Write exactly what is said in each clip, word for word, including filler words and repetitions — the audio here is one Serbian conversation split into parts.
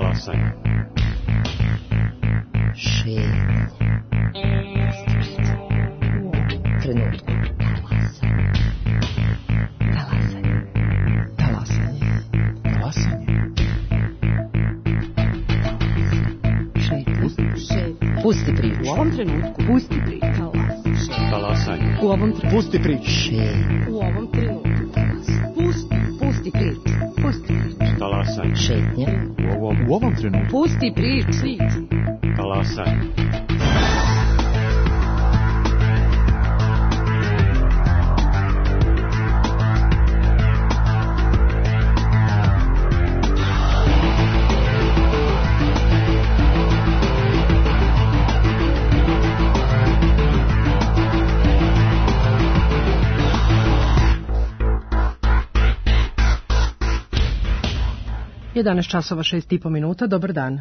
Talasanje. Šetnje. Trenutku. Talasanje. Talasanje. Talasanje. Šetnje. Šetnje. Pusti priču. U ovom trenutku. Pusti priču. Talasanje. U ovom trenutku. Pusti priču. Šetnje. U ovom trenutku. Pusti. Pusti priču. Pusti priču. Talasanje. Šetnje. U ovom, u ovom trenutku. Pusti priču. Talasanje. jedanaest časova šest i po minuta, dobar dan.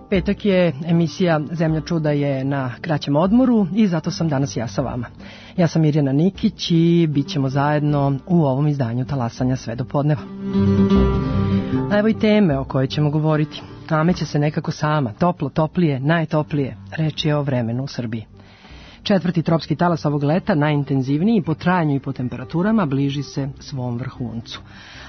Petak je, emisija Zemlja čuda je na kraćem odmoru i zato sam danas ja sa vama. Ja sam Mirjana Nikić i bit ćemo zajedno u ovom izdanju Talasanja sve do podneva. A evo i teme o kojoj ćemo govoriti. Nameće se nekako sama, toplo, toplije, najtoplije. Reč je o vremenu u Srbiji. Četvrti tropski talas ovog leta, najintenzivniji po trajanju i po temperaturama, bliži se svom vrhuncu.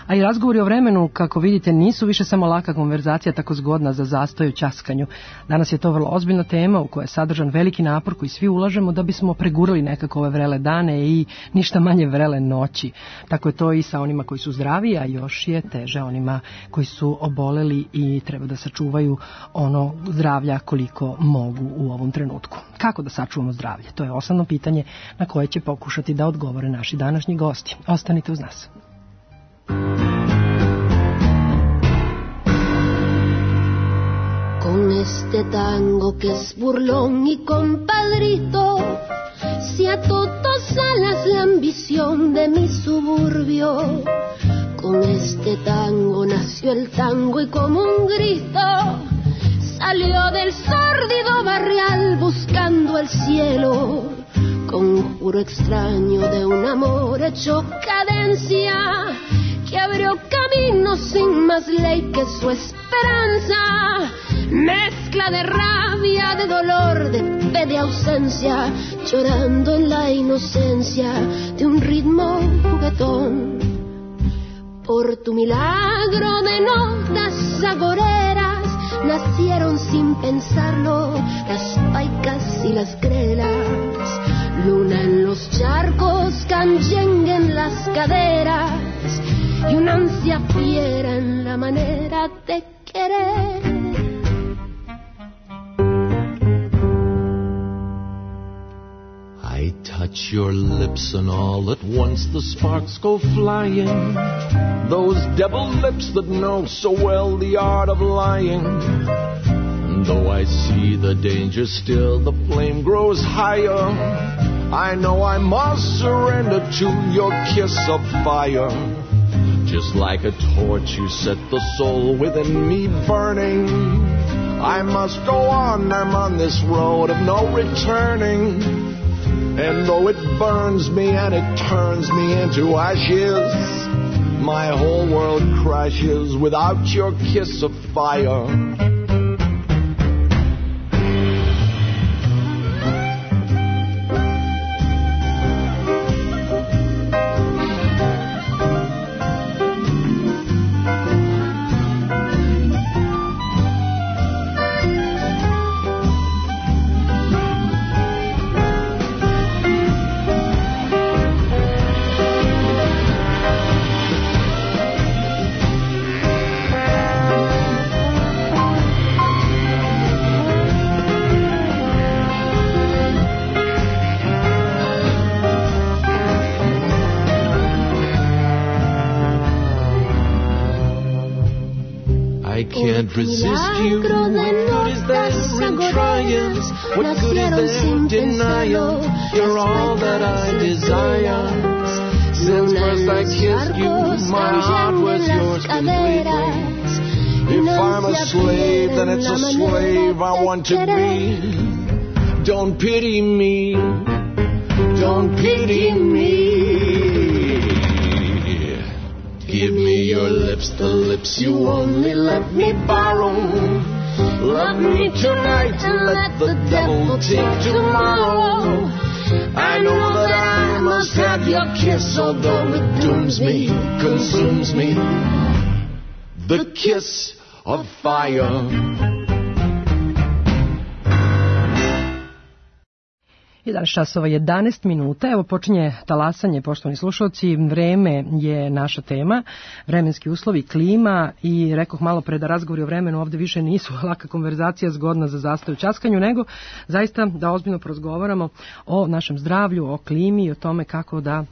A i razgovori o vremenu, kako vidite, nisu više samo laka konverzacija tako zgodna za zastoj u ćaskanju. Danas je to vrlo ozbiljna tema u kojoj je sadržan veliki napor koji svi ulažemo da bismo pregurali nekako ove vrele dane i ništa manje vrele noći. Tako je to i sa onima koji su zdravi, a još je teže onima koji su oboleli i treba da sačuvaju ono zdravlja koliko mogu u ovom trenutku. Kako da sačuvamo zdravlje? To je osnovno pitanje na koje će pokušati da odgovore naši današnji gosti. Ostanite uz nas. Con este tango que es burlón y compadrito, si a todos alas la ambición de mi suburbio. Con este tango nació el tango y como un grito salió del sórdido barrial buscando el cielo. Conjuro extraño de un amor hecho cadencia que abrió camino sin más ley que su esperanza. Mezcla de rabia, de dolor, de fe, de ausencia, llorando en la inocencia de un ritmo juguetón. Por tu milagro de notas agoreras nacieron sin pensarlo las paicas y las grelas. Luna en los charcos, canyengue en las caderas y una ansia fiera en la manera de querer. I touch your lips and all at once the sparks go flying. Those devil lips that know so well the art of lying. And though I see the danger still, the flame grows higher. I know I must surrender to your kiss of fire. Just like a torch you set the soul within me burning. I must go on, I'm on this road of no returning. And though it burns me and it turns me into ashes, my whole world crashes without your kiss of fire. I can't resist you. What good is there in trials? What good is there in denial? You're all that I desire. Since first I kissed you, my heart was yours completely. If I'm a slave, then it's a slave I want to be. Don't pity me. Don't pity me. your lips, the lips you only let me borrow. Love me tonight and let the devil take tomorrow. I know that I must have your kiss, although it dooms me, consumes me. The kiss of fire. jedanaest časova jedanaest minuta, evo počinje talasanje, poštovani slušalci, vreme je naša tema, vremenski uslovi, klima i rekoh malo pre da razgovori o vremenu ovde više nisu laka konverzacija zgodna za zastoj u ćaskanju, nego zaista da ozbiljno porozgovaramo o našem zdravlju, o klimi i o tome kako da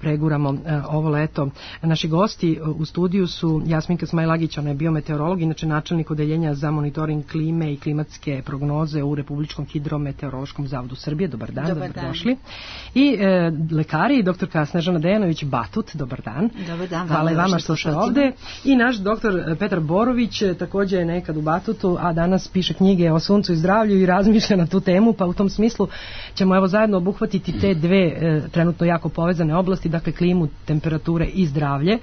preguramo ovo leto. Naši gosti u studiju su Jasminka Smajlagić, ona je biometeorolog, inače načelnik odeljenja za monitoring klime i klimatske prognoze u Republičkom hidrometeorološkom zavodu Srbije. Dobar dan. Dobar dobro dan. došli. I e, lekari, doktorka Snežana Dejanović Batut, dobar dan. Dobar dan. Hvala i vama što ste ovde. I naš doktor Petar Borović, takođe je nekad u Batutu, a danas piše knjige o suncu i zdravlju i razmišlja na tu temu, pa u tom smislu ćemo evo zajedno obuhvatiti te dve e, trenutno jako povezane oblasti, dakle klimu, temperature i zdravlje.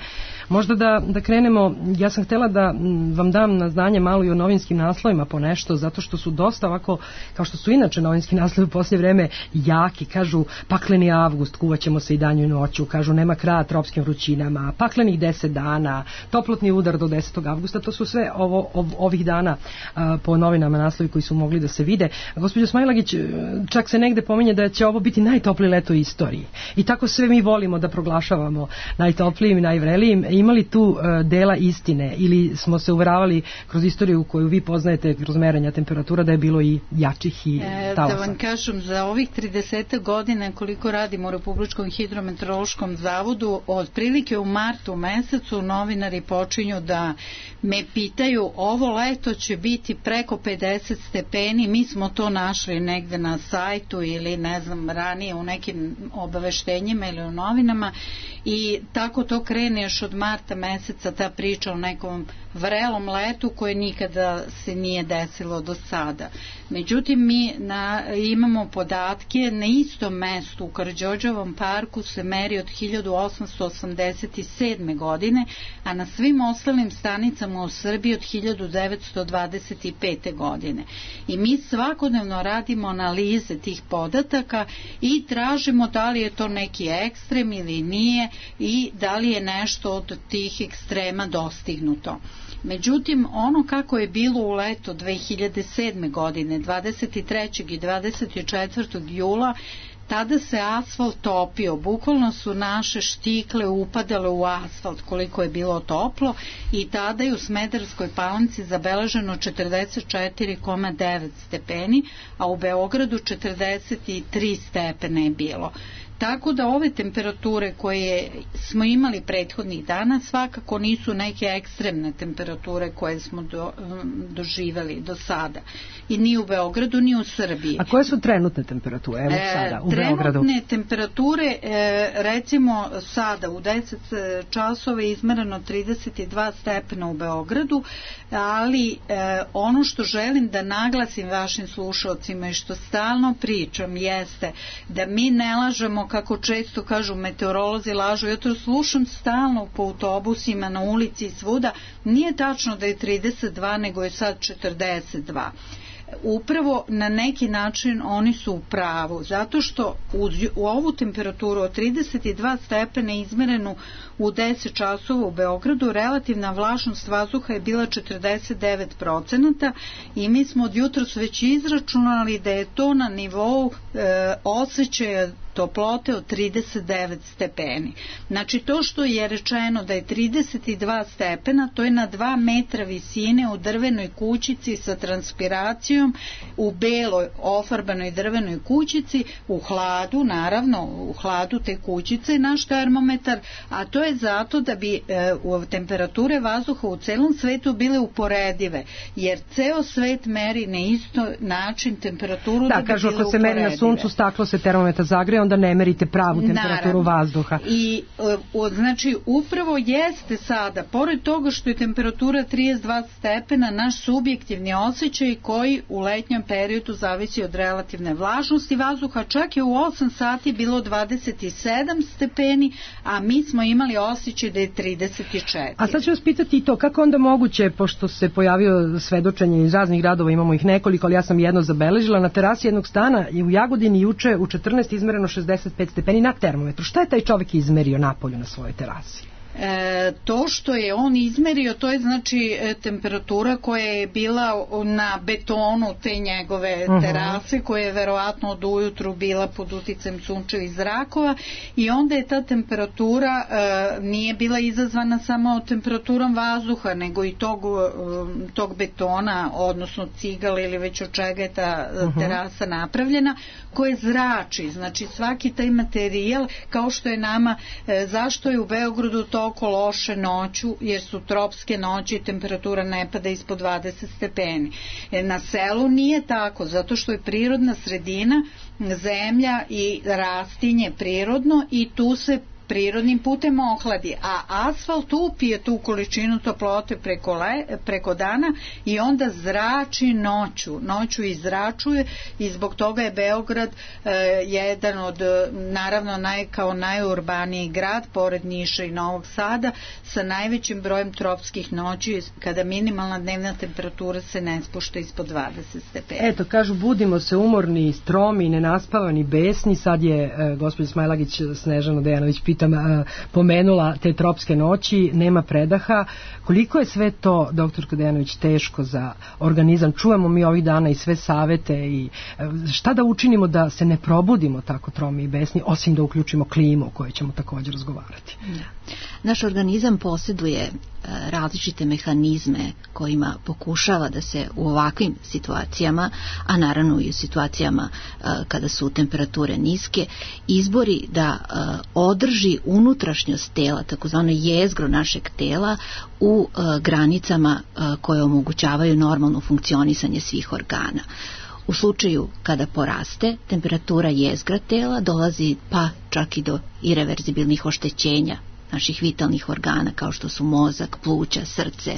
Možda da, da krenemo, ja sam htela da vam dam na znanje malo i o novinskim naslovima po nešto, zato što su dosta ovako, kao što su inače novinski naslovi u posljednje vreme jaki, kažu pakleni avgust, kuvaćemo se i danju i noću, kažu nema kraja tropskim vrućinama, paklenih deset dana, toplotni udar do desetog avgusta, to su sve ovo, ov, ovih dana a, po novinama naslovi koji su mogli da se vide. Gospođo Smajlagić, čak se negde pominje da će ovo biti najtoplije leto u istoriji. I tako sve mi volimo da proglašavamo najtoplijim i najvrelijim. Imali tu uh, dela istine ili smo se uveravali kroz istoriju koju vi poznajete kroz merenja temperatura da je bilo i jačih i e, talasa? Da vam kažem, za ovih trideset godina koliko radim u Republičkom hidrometeorološkom zavodu, otprilike u martu mesecu novinari počinju da me pitaju, ovo leto će biti preko pedeset stepeni, mi smo to našli negde na sajtu ili ne znam ranije u nekim obaveštenjima ili u novinama i tako to krene još od marta meseca ta priča o nekom vrelom letu koje nikada se nije desilo do sada. Međutim, mi na, imamo podatke na istom mestu u Karađorđevom parku se meri od hiljadu osamsto osamdeset sedme godine, a na svim ostalim stanicama u Srbiji od hiljadu devetsto dvadeset pete godine. I mi svakodnevno radimo analize tih podataka i tražimo da li je to neki ekstrem ili nije i da li je nešto od tih ekstrema dostignuto. Međutim, ono kako je bilo u leto dve hiljade sedme godine, dvadeset trećeg i dvadeset četvrtog jula, tada se asfalt topio, bukvalno su naše štikle upadale u asfalt koliko je bilo toplo i tada je u Smederevskoj Palanci zabeleženo četrdeset četiri zarez devet stepeni, a u Beogradu četrdeset tri stepena je bilo. Tako da ove temperature koje smo imali prethodnih dana svakako nisu neke ekstremne temperature koje smo do, doživjeli do sada. I ni u Beogradu, ni u Srbiji. A koje su trenutne temperature? Evo sada, u e, Beogradu. Trenutne temperature, e, recimo sada u deset časova je izmereno trideset dva stepena u Beogradu, ali e, ono što želim da naglasim vašim slušalcima i što stalno pričam jeste da mi ne lažemo kako često kažu meteorolozi lažu, ja to slušam stalno po autobusima, na ulici i svuda, nije tačno da je trideset dva nego je sad četrdeset dva. Upravo na neki način oni su u pravu, zato što uz, u ovu temperaturu od trideset dva stepena izmerenu u deset časova u Beogradu relativna vlažnost vazduha je bila četrdeset devet procenata i mi smo od jutros već izračunali da je to na nivou e, osjećaja toplote od trideset devet stepeni. Znači to što je rečeno da je trideset dva stepena, to je na dva metra visine u drvenoj kućici sa transpiracijom, u beloj ofarbanoj drvenoj kućici, u hladu, naravno u hladu te kućice je naš termometar, a to je zato da bi e, temperature vazduha u celom svetu bile uporedive, jer ceo svet meri na isto način temperaturu da, da bi kažu, bile ako se meri na suncu, staklo se termometar zagreje, onda ne merite pravu temperaturu Naravno. vazduha. I o, znači upravo jeste sada, pored toga što je temperatura trideset dva stepena, naš subjektivni osjećaj koji u letnjem periodu zavisi od relativne vlažnosti vazduha, čak je u osam sati bilo dvadeset sedam stepeni, a mi smo imali osjećaj da je trideset četiri. A sad ću vas pitati i to, kako onda moguće, pošto se pojavio svedočenje iz raznih gradova, imamo ih nekoliko, ali ja sam jedno zabeležila, na terasi jednog stana i u Jagodini juče u četrnaest izmereno šezdeset pet stepeni na termometru. Šta je taj čovjek izmerio napolju na svojoj terasi? E, to što je on izmerio, to je znači e, temperatura koja je bila na betonu te njegove terase, koja je verovatno od ujutru bila pod uticajem sunčevih zrakova, i onda je ta temperatura e, nije bila izazvana samo temperaturom vazduha, nego i tog, e, tog betona, odnosno cigala ili već od čega je ta uh-huh. terasa napravljena, koje zrači. Znači svaki taj materijal, kao što je nama, e, zašto je u Beogradu to oko loše noću, jer su tropske noći i temperatura ne pada ispod dvadeset stepeni. Na selu nije tako, zato što je prirodna sredina, zemlja i rastinje prirodno i tu se prirodnim putem ohladi, a asfalt upije tu količinu toplote preko, le, preko dana i onda zrači noću. Noću izračuje i zbog toga je Beograd e, jedan od, naravno, naj, kao najurbaniji grad, pored Niša i Novog Sada, sa najvećim brojem tropskih noći, kada minimalna dnevna temperatura se ne spušta ispod dvadeset stepeni. Eto, kažu, budimo se umorni, stromi, nenaspavani, besni. Sad je e, gospođa Smajlagić Snežana Dejanović pitam, pomenula te tropske noći, nema predaha. Koliko je sve to, doktorka Dejanović, teško za organizam? Čujemo mi ovih dana i sve savete i šta da učinimo da se ne probudimo tako tromi i besni, osim da uključimo klimu o kojoj ćemo također razgovarati. Da. Naš organizam posjeduje različite mehanizme kojima pokušava da se u ovakvim situacijama, a naravno i u situacijama kada su temperature niske, izbori da održi unutrašnjost tela, takozvano jezgro našeg tela, u granicama koje omogućavaju normalno funkcionisanje svih organa. U slučaju kada poraste temperatura jezgra tela, dolazi pa čak i do ireverzibilnih oštećenja naših vitalnih organa, kao što su mozak, pluća, srce,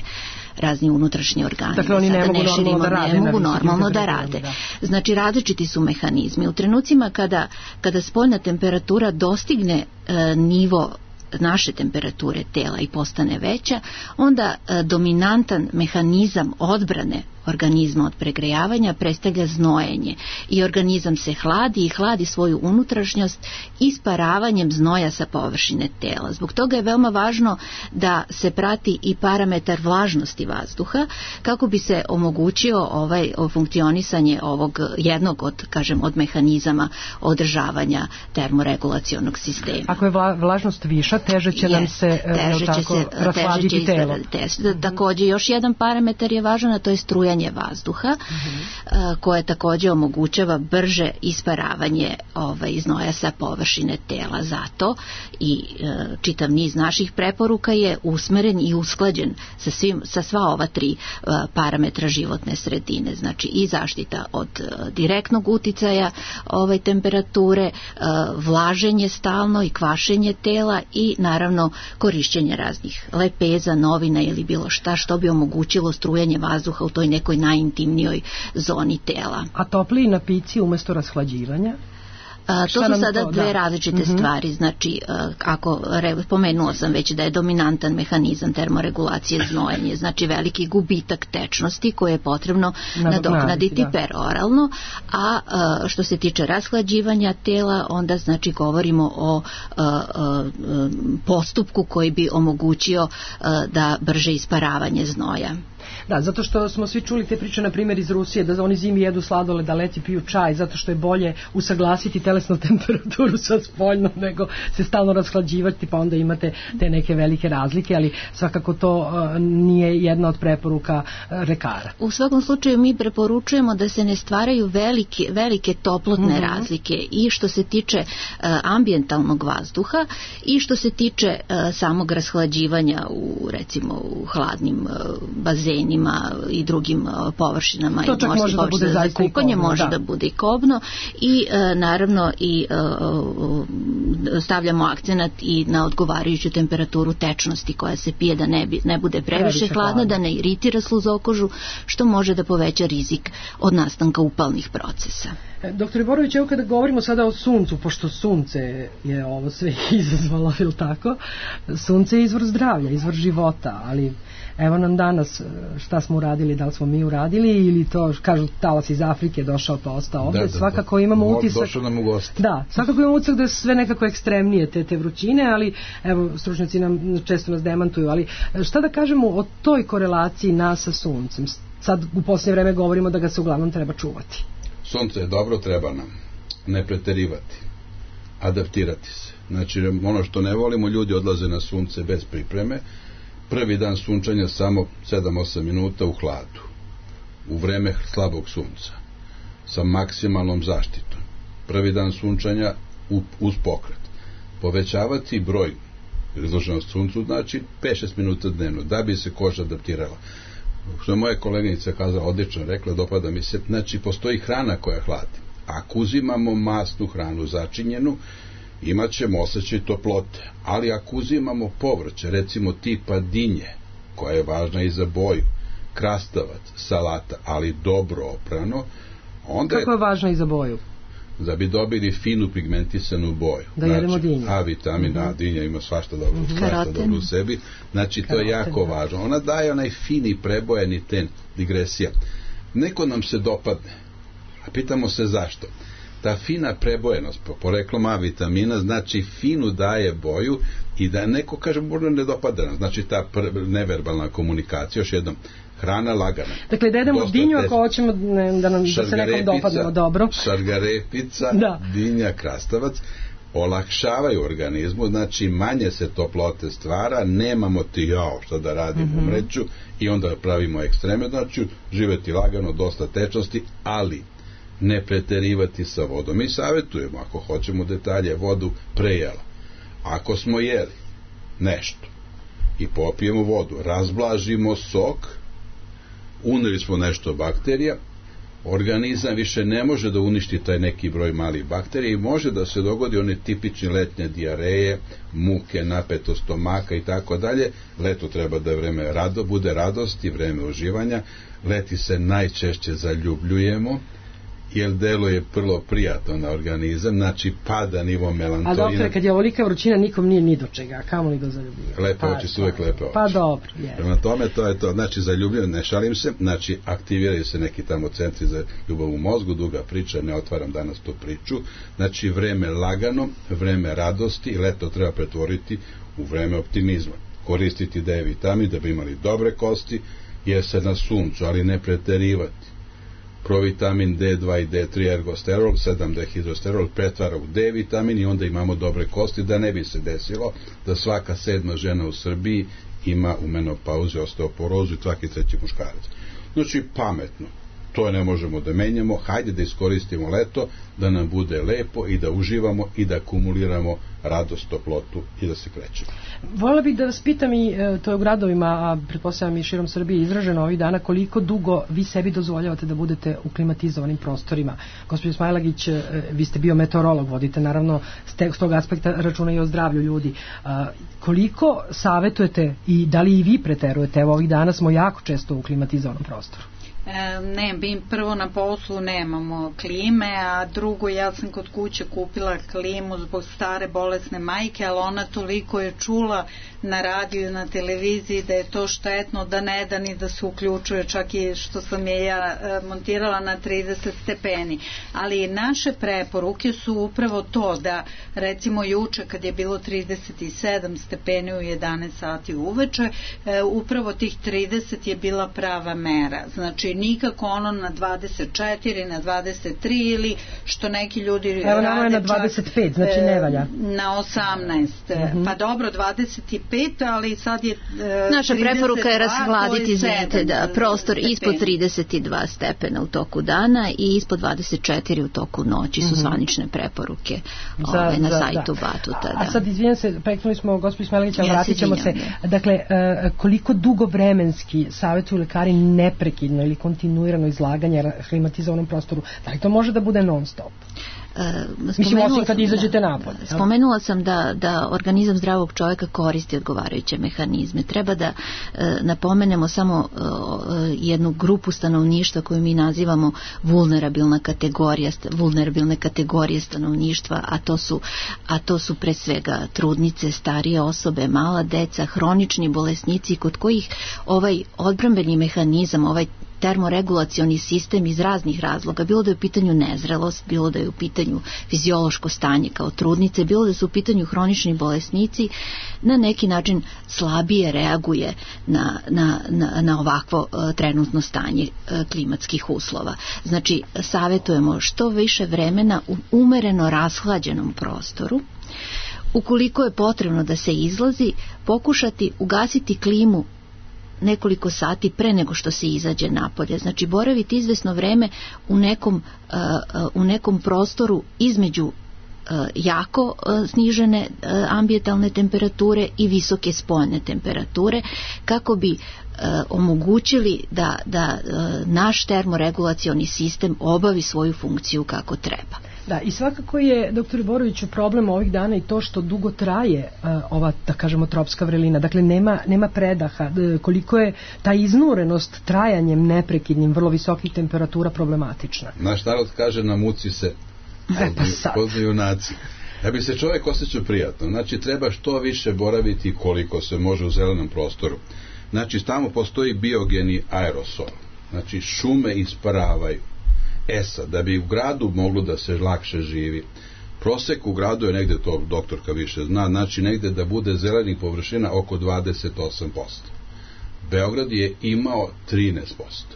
razni unutrašnji organi. Dakle, oni ne mogu ne širimo, normalno da rade. Ne mogu normalno da rade. Da. Znači, različiti su mehanizmi. U trenucima kada, kada spoljna temperatura dostigne e, nivo naše temperature tela i postane veća, onda e, dominantan mehanizam odbrane organizma od pregrejavanja predstavlja znojenje i organizam se hladi i hladi svoju unutrašnjost isparavanjem znoja sa površine tela. Zbog toga je veoma važno da se prati i parametar vlažnosti vazduha kako bi se omogućio ovaj funkcionisanje ovog jednog od, kažem, od mehanizama održavanja termoregulacionog sistema. Ako je vla, vlažnost viša, teže će nam se, teže tako, će se rasladiti telo. Te, također još jedan parametar je važan, a to je strujanje vazduha, uh-huh. koje također omogućava brže isparavanje ovaj, znoja sa površine tela. Zato i uh, čitav niz naših preporuka je usmeren i usklađen sa, svim, sa sva ova tri uh, parametra životne sredine. Znači i zaštita od uh, direktnog uticaja ovaj, temperature, uh, vlaženje stalno i kvašenje tela i naravno korišćenje raznih lepeza, novina ili bilo šta što bi omogućilo strujanje vazduha u toj nekoj najintimnijoj zoni tela. A topliji napici umjesto rashlađivanja? A, to su sada to, dve da. različite mm-hmm. stvari. Znači, a, ako re, pomenuo sam već da je dominantan mehanizam termoregulacije znojenje, znači veliki gubitak tečnosti koje je potrebno nadoknaditi da. peroralno, a, a što se tiče rashlađivanja tela, onda znači govorimo o a, a, postupku koji bi omogućio a, da brže isparavanje znoja. Da, zato što smo svi čuli te priče, na primjer iz Rusije, da oni zimi jedu sladoled, da leti piju čaj, zato što je bolje usaglasiti telesnu temperaturu sa spoljnom nego se stalno rashlađivati, pa onda imate te neke velike razlike, ali svakako to uh, nije jedna od preporuka uh, lekara. U svakom slučaju mi preporučujemo da se ne stvaraju velike, velike toplotne mm-hmm. razlike i što se tiče uh, ambijentalnog vazduha i što se tiče uh, samog rashlađivanja u, recimo, u hladnim uh, bazenima tavanima i drugim površinama. To čak može da bude zaista i kukanje, može da. da bude i kobno i e, naravno i e, stavljamo akcenat i na odgovarajuću temperaturu tečnosti koja se pije da ne, bi, ne bude previše hladna, da ne iritira sluzokožu, što može da poveća rizik od nastanka upalnih procesa. Doktor Borović, evo kada govorimo sada o suncu, pošto sunce je ovo sve izazvalo, ili tako, sunce je izvor zdravlja, izvor života, ali evo nam danas šta smo uradili, da li smo mi uradili ili to, kažu, talas iz Afrike došao pa ostao ovde, da, da, svakako imamo da. utisak. Došao nam u gost. Da, svakako imamo utisak da je sve nekako ekstremnije te, te vrućine, ali evo, stručnjaci nam često nas demantuju, ali šta da kažemo o toj korelaciji nas sa suncem? Sad u posljednje vreme govorimo da ga se uglavnom treba čuvati. Sunce je dobro, treba nam ne preterivati, adaptirati se. Znači, ono što ne volimo, ljudi odlaze na sunce bez pripreme, prvi dan sunčanja samo sedam osam minuta u hladu, u vreme slabog sunca, sa maksimalnom zaštitom. Prvi dan sunčanja uz pokret. Povećavati broj izloženost suncu, znači pet šest minuta dnevno, da bi se koža adaptirala. Što je moja koleginica kazala, odlično rekla, dopada mi se, znači postoji hrana koja hladi. Ako uzimamo masnu hranu začinjenu, imat ćemo osjećaj toplote, ali ako uzimamo povrće, recimo tipa dinje, koja je važna i za boju, krastavac, salata, ali dobro oprano, onda kako je važna i za boju? Da bi dobili finu pigmentisanu boju. Da jedemo znači, dinje. A vitamin uh-huh. A, dinja ima svašta dobro, uh-huh. svašta dobro u sebi. Znači, to Karoten, je jako da. važno. Ona daje onaj fini prebojeni ten, digresija. Neko nam se dopadne, a pitamo se zašto. Ta fina prebojenost, po poreklom A vitamina, znači finu daje boju i da neko kaže, možda ne dopada nam. Znači, ta pr- neverbalna komunikacija, još jednom, hrana lagana. Dakle, da jedemo dinju ako hoćemo ne, da, nam, da se nekom dopadnemo dobro. Šargarepica, da. dinja, krastavac, olakšavaju organizmu, znači manje se toplote stvara, nemamo ti jao što da radimo mm-hmm. u mreću i onda pravimo ekstreme, znači živeti lagano, dosta tečnosti, ali ne preterivati sa vodom. Mi savjetujemo, ako hoćemo detalje, vodu prejela. Ako smo jeli nešto i popijemo vodu, razblažimo sok, uneli smo nešto bakterija, organizam više ne može da uništi taj neki broj malih bakterija i može da se dogodi one tipične letnje dijareje, muke, napetost stomaka i tako dalje. Leto treba da vreme rado, bude radosti, vreme uživanja. Leti se najčešće zaljubljujemo, jer delo je prvo prijatno na organizam, znači pada nivo melantonina. A doktore, kad je ovolika vrućina, nikom nije ni do čega, kamo li do zaljubljivanja? Lepe pa, oči su uvek lepe oči. Pa dobro, je. Prema tome, to je to, znači zaljubljivanje, ne šalim se, znači aktiviraju se neki tamo centri za ljubav u mozgu, duga priča, ne otvaram danas tu priču, znači vreme lagano, vreme radosti i leto treba pretvoriti u vreme optimizma. Koristiti D vitamin da bi imali dobre kosti, jer se na suncu, ali ne preterivati. Provitamin D dva i D tri ergosterol, sedam dehidrosterol pretvara u D vitamin i onda imamo dobre kosti, da ne bi se desilo da svaka sedma žena u Srbiji ima u menopauzi osteoporozu i svaki treći muškarac. Znači pametno, to ne možemo da menjamo, hajde da iskoristimo leto, da nam bude lepo i da uživamo i da akumuliramo radost, toplotu i da se krećemo. Volela bih da vas pitam i to je u gradovima, a pretpostavljam i širom Srbije izraženo ovih dana, koliko dugo vi sebi dozvoljavate da budete u klimatizovanim prostorima. Gospođo Smajlagić, vi ste bio meteorolog, vodite naravno s tog aspekta računa i o zdravlju ljudi. Koliko savetujete i da li i vi preterujete? Evo ovih dana smo jako često u klimatizovanom prostoru. Ne, mi prvo na poslu nemamo klime, a drugo, ja sam kod kuće kupila klimu zbog stare bolesne majke, ali ona toliko je čula na radiju, na televiziji da je to štetno, da ne da ni da se uključuje, čak i što sam je ja montirala na trideset stepeni. Ali naše preporuke su upravo to da, recimo juče kad je bilo trideset sedam stepeni u jedanaest sati uveče, upravo tih trideset je bila prava mera. Znači nikako ono na dvadeset četiri, na dvadeset tri ili što neki ljudi Evo, rade nama je na dvadeset pet, znači ne valja. Na osamnaest. Mm-hmm. Pa dobro, dvadeset pet, ali sad je e, naša preporuka je rashladiti, znate, da prostor stepeni. Ispod trideset dva stepena u toku dana i ispod dvadeset četiri u toku noći su zvanične preporuke za, ovaj, na za, sajtu da. Batuta. A, a sad izvijem se, preknuli smo gospođu Smailagića, ja vratit ćemo se. Da. Dakle, koliko dugo vremenski savjetuju lekari neprekidno ili kontinuirano izlaganje klimatizovanom prostoru? Da li to može da bude non stop? Mislim, osim kad izađete da, napolje. Spomenula sam da, da organizam zdravog čovjeka koristi odgovarajuće mehanizme. Treba da e, napomenemo samo e, jednu grupu stanovništva koju mi nazivamo vulnerabilna kategorija, vulnerabilne kategorije stanovništva, a to su, a to su pre svega trudnice, starije osobe, mala deca, hronični bolesnici kod kojih ovaj odbrambeni mehanizam, ovaj termoregulacioni sistem iz raznih razloga, bilo da je u pitanju nezrelost, bilo da je u pitanju fiziološko stanje kao trudnice, bilo da su u pitanju hronični bolesnici, na neki način slabije reaguje na, na, na, na ovakvo uh, trenutno stanje uh, klimatskih uslova. Znači, savjetujemo što više vremena u umereno rashlađenom prostoru. Ukoliko je potrebno da se izlazi, pokušati ugasiti klimu nekoliko sati pre nego što se izađe napolje. Znači, boraviti izvesno vreme u nekom, uh, u nekom prostoru između uh, jako uh, snižene uh, ambijentalne temperature i visoke spoljne temperature, kako bi uh, omogućili da, da uh, naš termoregulacioni sistem obavi svoju funkciju kako treba. Da, i svakako je, doktore Boroviću, problem ovih dana i to što dugo traje uh, ova, da kažemo, tropska vrelina. Dakle, nema, nema predaha. Koliko je ta iznurenost trajanjem neprekidnim vrlo visokih temperatura problematična. Naš narod kaže, na muci se poznaju junaci. Da bi se čovjek osjećao prijatno, znači treba što više boraviti koliko se može u zelenom prostoru. Znači, tamo postoji biogeni aerosol. Znači, šume isparavaju. E sad, da bi u gradu moglo da se lakše živi, prosek u gradu je negde, to doktorka više zna, znači negde da bude zelenih površina oko dvadeset osam posto. Beograd je imao trinaest posto.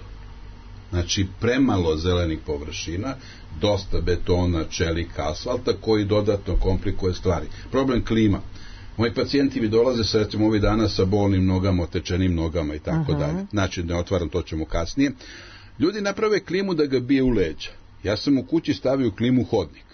Znači, premalo zelenih površina, dosta betona, čelika, asfalta, koji dodatno komplikuje stvari. Problem klima. Moji pacijenti mi dolaze sa, recimo, ovih dana sa bolnim nogama, otečenim nogama i tako dalje. Znači, ne otvaram, to ćemo kasnije. Ljudi naprave klimu da ga bije u leđa. Ja sam u kući stavio klimu u hodnik.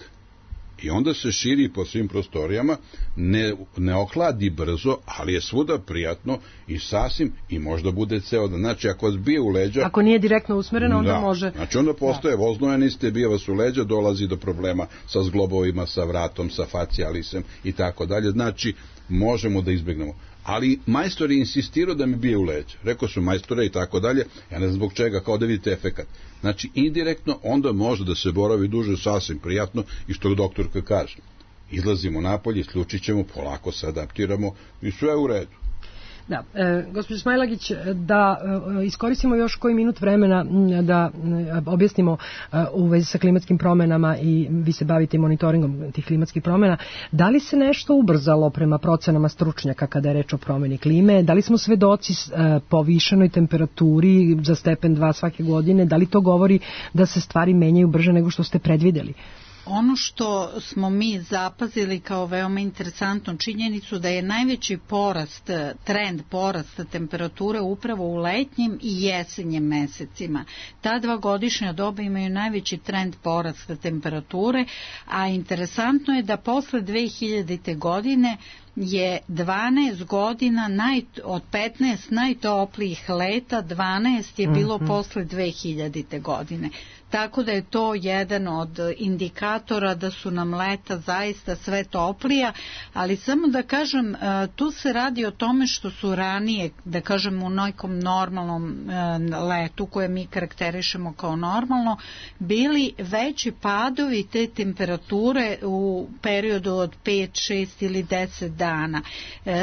I onda se širi po svim prostorijama, ne, ne ohladi brzo, ali je svuda prijatno i sasvim, i možda bude ceo dan. Znači, ako vas bije u leđa... Ako nije direktno usmerena, onda da, može... Znači, onda postoje voznojaniste, bije vas u leđa, dolazi do problema sa zglobovima, sa vratom, sa facijalisem i tako dalje. Znači, možemo da izbjegnemo. Ali majstor je insistirao da mi bije u leđa. Rekao su majstore i tako dalje, ja ne znam zbog čega, kao da vidite efekat. Znači, indirektno onda može da se boravi duže, sasvim prijatno, i što doktorka kaže. Izlazimo napolje, isključit ćemo, polako se adaptiramo i sve je u redu. Da, e, gospođo Smailagić, da e, iskoristimo još koji minut vremena da e, objasnimo e, u vezi sa klimatskim promenama, i vi se bavite monitoringom tih klimatskih promena. Da li se nešto ubrzalo prema procenama stručnjaka kada je reč o promeni klime? Da li smo svedoci e, povišenoj temperaturi za stepen dva svake godine? Da li to govori da se stvari menjaju brže nego što ste predvideli? Ono što smo mi zapazili kao veoma interesantnu činjenicu, da je najveći porast, trend porasta temperature upravo u letnjim i jesenjim mesecima. Ta dva godišnja doba imaju najveći trend porasta temperature, a interesantno je da posle dve hiljadite. godine je dvanaest godina naj, od petnaest najtoplijih leta, dvanaest je bilo mm-hmm. posle dve hiljadite. godine. Tako da je to jedan od indikatora da su nam leta zaista sve toplija, ali samo da kažem, tu se radi o tome što su ranije, da kažem, u nekom normalnom letu koje mi karakterišemo kao normalno, bili veći padovi te temperature u periodu od pet, šest ili deset dana dana.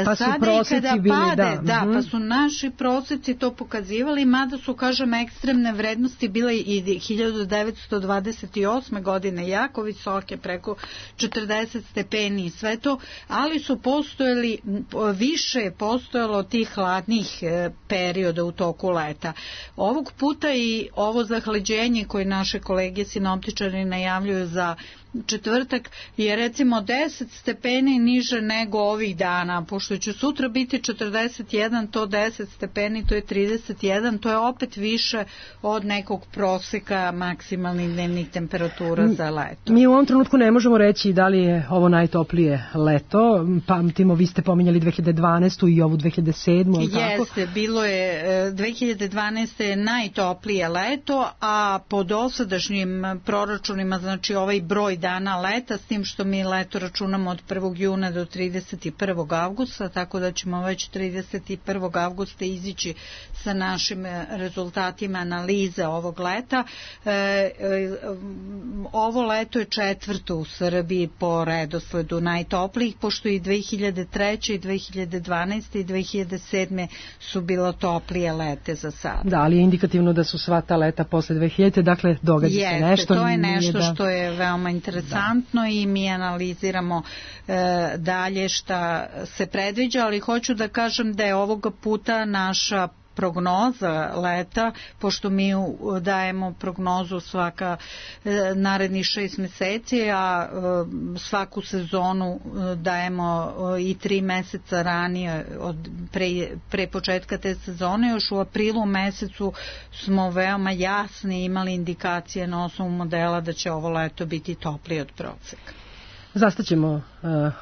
Pa su Sada proseci kada bili, pade, da. da, Mhm. pa su naši proseci to pokazivali, mada su, kažem, ekstremne vrednosti bile i hiljadu devetsto dvadeset osme godine jako visoke, preko četrdeset stepeni i sve to, ali su postojali, više je postojalo tih hladnih perioda u toku leta. Ovog puta i ovo zahlađenje koje naše kolege sinoptičari najavljuju za četvrtak je recimo deset stepeni niže nego ovih dana, pošto će sutra biti četrdeset jedan, to deset stepeni, to je trideset jedan, to je opet više od nekog proseka maksimalnih dnevnih temperatura za leto. Mi u ovom trenutku ne možemo reći da li je ovo najtoplije leto. Pamtimo, vi ste pominjali dve hiljade dvanaestu i ovu dve hiljade sedmu. Jeste, bilo je dve hiljade dvanaeste je najtoplije leto, a po dosadašnjim proračunima, znači ovaj broj dana leta, s tim što mi leto računamo od prvog juna do trideset prvog avgusta, tako da ćemo već trideset prvog avgusta izići sa našim rezultatima analize ovog leta. E, e, ovo leto je četvrto u Srbiji po redosledu najtoplijih, pošto i dve hiljade treće i dve hiljade dvanaeste i dve hiljade sedme su bilo toplije lete za sad. Da, ali je indikativno da su sva ta leta posle dve hiljade, dakle događa Jeste, se nešto. To je nešto da... što je veoma interesantno da. I mi analiziramo e, dalje šta se predviđa, ali hoću da kažem da je ovoga puta naša prognoza leta, pošto mi dajemo prognozu svaka e, narednih šest meseci, a e, svaku sezonu e, dajemo e, i tri meseca ranije od pre, pre početka te sezone. Još u aprilu mesecu smo veoma jasni imali indikacije na osnovu modela da će ovo leto biti toplije od proseka. Zastaćemo uh,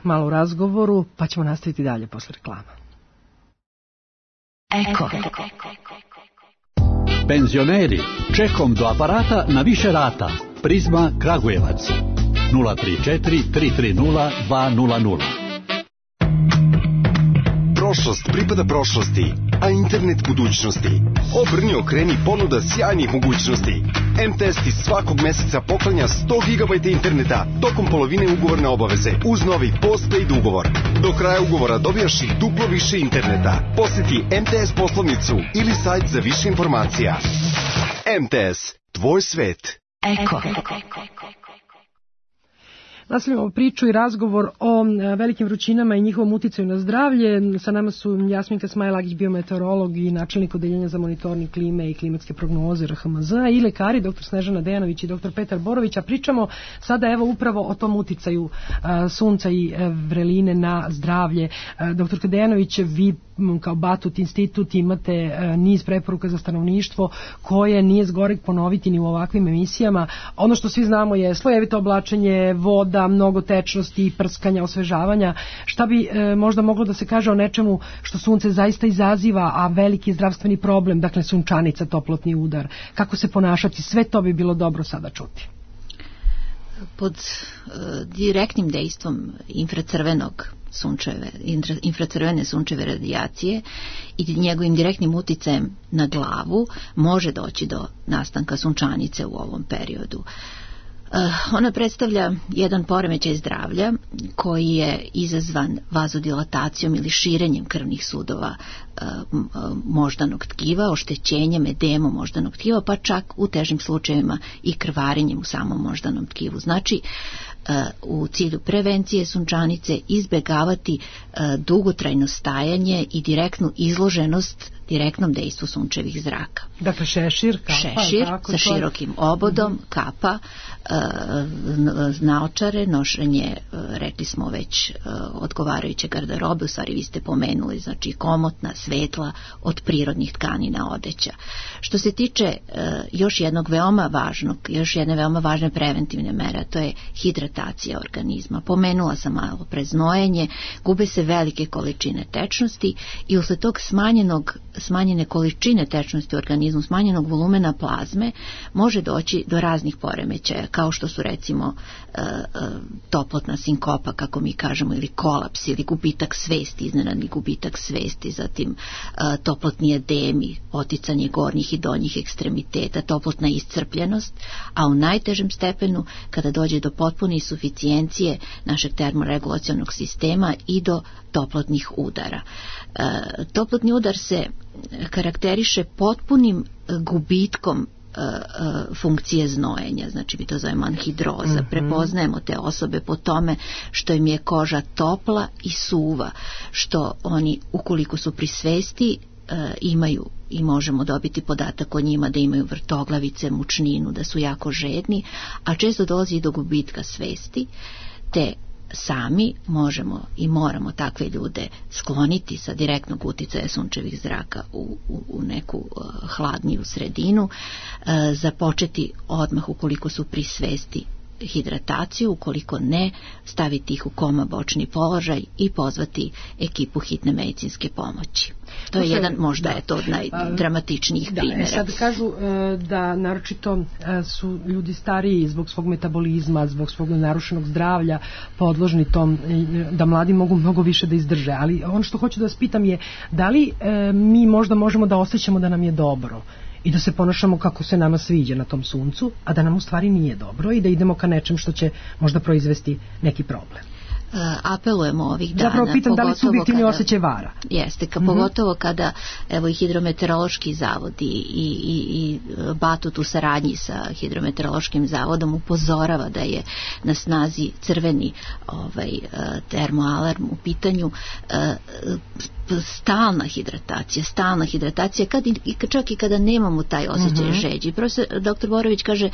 malo u razgovoru, pa ćemo nastaviti dalje posle reklama. Eko. Penzioneri, čekom do aparata na više rata. Prizma Kragujevac. nula tri četiri tri tri nula dva nula nula. Prošlost pripada prošlosti, a internet budućnosti. Obrni, okreni, ponuda sjajnih mogućnosti. em te es ti svakog meseca poklanja sto gigabajta interneta tokom polovine ugovorne obaveze uz novi postpaid ugovor. Do kraja ugovora dobijaš i duplo više interneta. Posjeti em te es poslovnicu ili sajt za više informacija. em te es, tvoj svet. Eko. Nastavljamo priču i razgovor o velikim vrućinama i njihovom uticaju na zdravlje. Sa nama su Jasminka Smajlagić, biometeorolog i načelnik odeljenja za monitoring klime i klimatske prognoze er ha em ze, i lekari doktor Snežana Dejanović i doktor Petar Borović. A pričamo sada evo upravo o tom uticaju a, sunca i a, vreline na zdravlje. A, doktor Dejanović, vi kao Batut institut imate a, niz preporuka za stanovništvo koje nije zgoreg ponoviti ni u ovakvim emisijama. Ono što svi znamo je slojevito oblačenje, voda, mnogo tečnosti, prskanja, osvežavanja. Šta bi e, možda moglo da se kaže o nečemu što sunce zaista izaziva, a veliki zdravstveni problem, dakle sunčanica, toplotni udar, kako se ponašati, sve to bi bilo dobro sada čuti. Pod e, direktnim dejstvom infracrvenog sunčeve, infracrvene sunčeve radijacije i njegovim direktnim uticajem na glavu može doći do nastanka sunčanice u ovom periodu. Ona predstavlja jedan poremećaj zdravlja koji je izazvan vazodilatacijom ili širenjem krvnih sudova moždanog tkiva, oštećenjem, edemom moždanog tkiva, pa čak u težim slučajevima i krvarenjem u samom moždanom tkivu. Znači, u cilju prevencije sunčanice izbegavati dugotrajno stajanje i direktnu izloženost direktnom dejstvu sunčevih zraka. Dakle, šešir, kapa, šešir tako, sa širokim obodom, mm-hmm. kapa, naočare, nošenje, rekli smo već, odgovarajuće garderobe, u stvari vi ste pomenuli, znači komotna, svetla, od prirodnih tkanina odeća. Što se tiče još jednog veoma važnog, još jedne veoma važne preventivne mere, to je hidratacija organizma. Pomenula sam malo preznojenje, gube se velike količine tečnosti i usled tog smanjenog smanjene količine tečnosti u organizmu, smanjenog volumena plazme, može doći do raznih poremećaja, kao što su recimo e, e, toplotna sinkopa, kako mi kažemo, ili kolaps, ili gubitak svesti, iznenadni gubitak svesti, zatim e, toplotni edemi, oticanje gornjih i donjih ekstremiteta, toplotna iscrpljenost, a u najtežem stepenu kada dođe do potpune insuficijencije našeg termoregulacionog sistema i do toplotnih udara. E, toplotni udar se karakteriše potpunim gubitkom e, e, funkcije znojenja, znači mi to zovemo anhidroza. Mm-hmm. Prepoznajemo te osobe po tome što im je koža topla i suva, što oni, ukoliko su pri svesti, e, imaju i možemo dobiti podatak o njima da imaju vrtoglavice, mučninu, da su jako žedni, a često dolazi i do gubitka svesti, te sami možemo i moramo takve ljude skloniti sa direktnog uticaja sunčevih zraka u, u, u neku uh, hladniju sredinu, uh, započeti odmah ukoliko su pri svesti hidrataciju, ukoliko ne, staviti ih u koma bočni položaj i pozvati ekipu hitne medicinske pomoći. To je jedan, možda je to od najdramatičnijih da, primjera. E sad kažu da naročito su ljudi stariji zbog svog metabolizma, zbog svog narušenog zdravlja podložni tom, da mladi mogu mnogo više da izdrže, ali ono što hoću da vas pitam je da li mi možda možemo da osjećamo da nam je dobro i da se ponašamo kako se nama sviđa na tom suncu, a da nam u stvari nije dobro i da idemo ka nečem što će možda proizvesti neki problem. Uh, apelujemo ovih dana. Zapravo pitam da li subjektivni kada, osjećaj vara. Jeste, ka, mm-hmm. pogotovo kada evo i hidrometeorološki zavod i, i, i, i Batut u saradnji sa hidrometeorološkim zavodom upozorava da je na snazi crveni ovaj, termoalarm u pitanju, uh, stalna hidratacija, stalna hidratacija, kad i, čak i kada nemamo taj osjećaj mm-hmm. žeđi. Profesor doktor Borović kaže uh,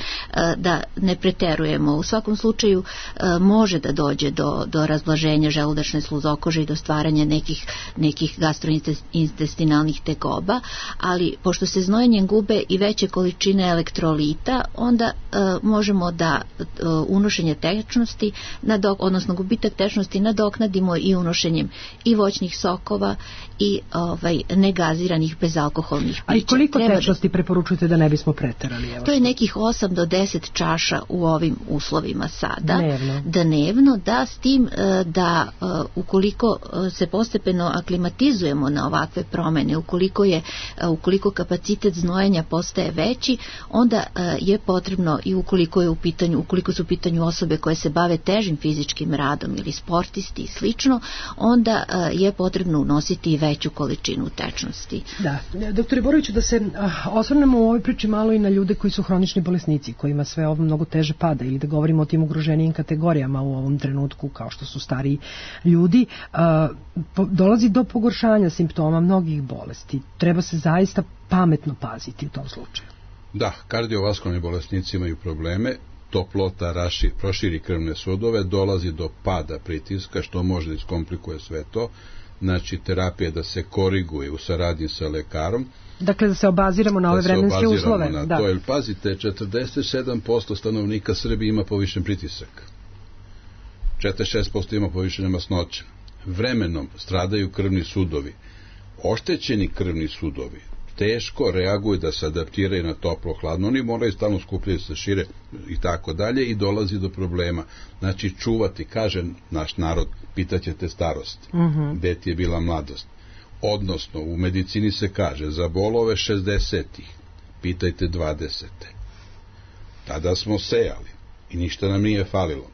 da ne preterujemo. U svakom slučaju uh, može da dođe do, do razblaženja želudačne sluzokože i do stvaranja nekih, nekih gastrointestinalnih tegoba, ali pošto se znojenjem gube i veće količine elektrolita, onda uh, možemo da uh, unošenje tečnosti, nadok, odnosno gubitak tečnosti nadoknadimo i unošenjem i voćnih sokova i ovaj, negaziranih bezalkoholnih pića. A i koliko Treba tečnosti da... preporučujete da ne bismo preterali? Evo to je nekih osam do deset čaša u ovim uslovima sada. Dnevno. Dnevno, da, s tim da ukoliko se postepeno aklimatizujemo na ovakve promene, ukoliko je ukoliko kapacitet znojenja postaje veći, onda je potrebno i ukoliko je u pitanju, ukoliko su u pitanju osobe koje se bave težim fizičkim radom ili sportisti i slično, onda je potrebno unositi i veću količinu tečnosti. Da, doktore Boroviću, da se osvrnemo u ovoj priči malo i na ljude koji su hronični bolesnici, kojima sve ovo mnogo teže pada, ili da govorimo o tim ugroženijim kategorijama u ovom trenutku, kao što su stariji ljudi, dolazi do pogoršanja simptoma mnogih bolesti. Treba se zaista pametno paziti u tom slučaju. Da, kardiovaskularni bolesnici imaju probleme, toplota raši, proširi krvne sudove, dolazi do pada pritiska, što može da iskomplikuje sve to. Znači, terapija da se koriguje u saradnji sa lekarom. Dakle, da se obaziramo na ove vremenske uslove. Na da. to, jer pazite, četrdeset sedam posto stanovnika Srbije ima povišen pritisak. četrdeset šest posto ima povišene masnoće. Vremenom stradaju krvni sudovi. Oštećeni krvni sudovi teško reaguju da se adaptiraju na toplo hladno, oni moraju stalno skupljati se šire i tako dalje i dolazi do problema. Znači, čuvati, kaže naš narod, pitaćete starost, uh-huh. gde ti je bila mladost. Odnosno, u medicini se kaže, za bolove šezdesetih pitajte dvadesete. Tada smo sejali i ništa nam nije falilo.